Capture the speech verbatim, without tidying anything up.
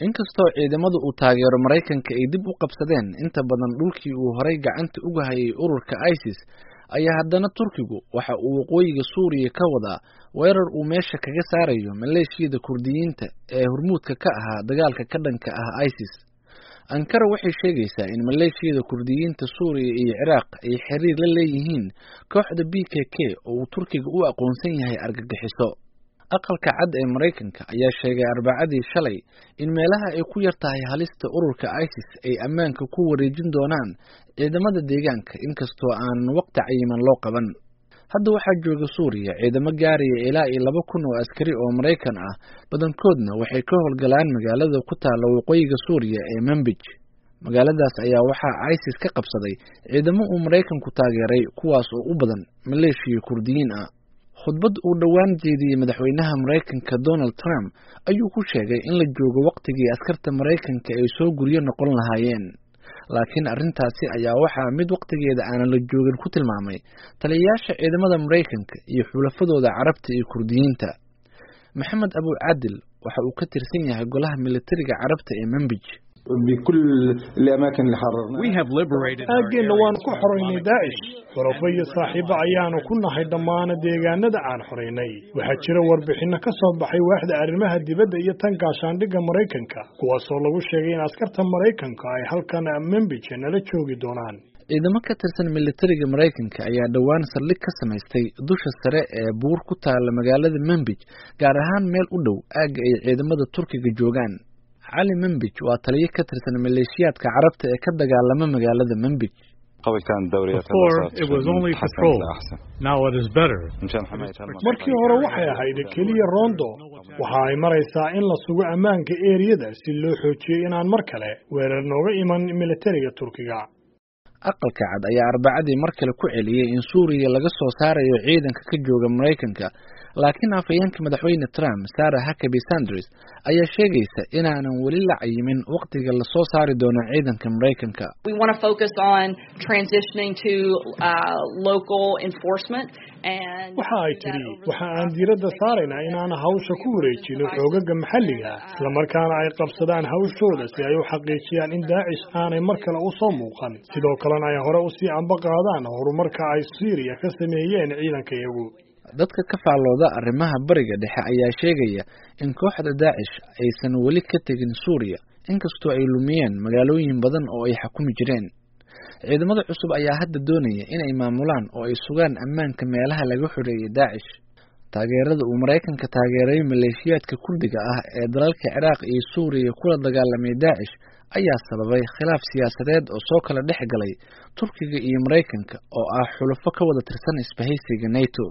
Inkastoo ciidamada uu taageero Maraykanka ay dib u qabsadeen inta badan dhulkii uu horay gacanta uga hayay ururka ISIS, ayaa haddana Turkigu waxa uu waqooyiga Suuriya ka wadaa weerar uu meesha kaga saarayo maleeshiyada Kurdiyiinta ee hormuudka ka ahaa dagaalka ka dhanka ah ISIS. Ankara waxay sheegaysaa in maleeshiyada Kurdiyiinta Suuriya iyo Ciraaq ay xiriir la leeyihiin kooxda P K K oo uu Turkiga u aqoonsan yahay argagixiso. Aqalka Cad ee Maraykanka ayaa sheegay Arbacadii shalay in meelaha ay ku yar tahay halista ururka ISIS ay ammaanka ku wareejin doonaan ciidamada deegaanka, inkastoo aanan waqti cayiman loo qaban. Hadda waxaa jooga Suuriya ciidamo gaaraya ilaa iyo laba kun oo askari oo Maraykan ah, badankoodna waxay ka howlgalaan magaalada ku taalla waqooyiga Suuriya ee Manbij. Magaaladaas ayaa waxaa ISIS ka qabsaday ciidamo uu Maraykanku taageeray, kuwaas oo u badan maleeshiya Kurdiyiin ah. Khudbad uu dhowaan jeediyey madaxweynaha Maraykanka Donald Trump ayuu ku sheegay in la joogo waqtigii askarta Maraykanka ay soo guryo noqon lahaayeen, laakiin arrintaasi ayaa waxaa mid waqtigeeda aanan la joogin ku tilmaamay taliyayaasha ciidamada Maraykanka iyo xulafadooda Carabta iyo Kurdiyiinta. Maxamed Abu Caadil waxa uu ka tirsan yahay golaha militariga Carabta ee Manbij. Aaggeenna waanu ku xoraynay Daacish. Xulafo iyo saaxiibo ayaanu ku nahay dhammaana deegaanada aan xoraynay. Waxaa jira warbixinno ka soo baxay waaxda arrimaha dibadda iyo tan gaashaandhigga Maraykanka, kuwaasoo lagu sheegay in askarta Maraykanka ay halkan Membij nala joogi doonaan. Ciidamo ka tirsan militariga Maraykanka ayaa dhowaan saldhig ka samaystay dusha sare ee buur ku taalla magaalada Manbij, gaar ahaan meel u dhow aagga ay ciidamada Turkiga joogaan. Cali Manbij waa taliye ka tirsan maleeshiyaadka Carabta ee ka dagaalama magaalada Manbij. Before, it was only patrol. Now it is better. Markii hore waxay ahayd keliya roondo. Waxa ay maraysaa in la sugo ammaanka eeriyada si loo xoojiyo inaan mar kale weerar nooga iman militariga Turkiga. Aqalka Cad ayaa Arbacadii mar kale ku celiyey in Suuriya laga soo saarayo ciidanka ka jooga Maraykanka, laakiin afhayeenka madaxweyne Trump, Sarah Huckabee Sanders, ayaa sheegaysa inaanan weli la cayimin waqtiga lasoo saari doono ciidanka Maraykanka. We want to focus on transitioning to uh, local enforcement and Waxa ay tidhi, waxa aan diiradda saaraynaa inaan hawsha ku wareejino xoogaga maxalliga, islamarkaana ay qabsadaan hawshooda si ay u xaqiijiyaan in Daacish aanay mar kale u soo muuqan, sidoo kalena ay hore usii amba qaadaan horumarka ay Siiriya ka sameeyeen ciidankayagu. Dadka ka faallooda arrimaha Bariga Dhexe ayaa sheegaya in kooxda Daacish aysan weli ka tegin Suuriya, inkastoo ay lumiyeen magaalooyin badan oo ay xakumi jireen. Ciidamada cusub ayaa hadda doonaya inay maamulaan oo ay sugaan ammaanka meelaha laga xoreeyay Daacish. Taageerada uu Maraykanka taageeray maleeshiyaadka Kurdiga ah ee dalalka Ciraaq iyo Suuriya kula dagaalamay Daacish ayaa sababay khilaaf siyaasadeed oo soo kala dhex galay Turkiga iyo Maraykanka oo ah xulafo ka wada tirsan isbahaysiga NATO.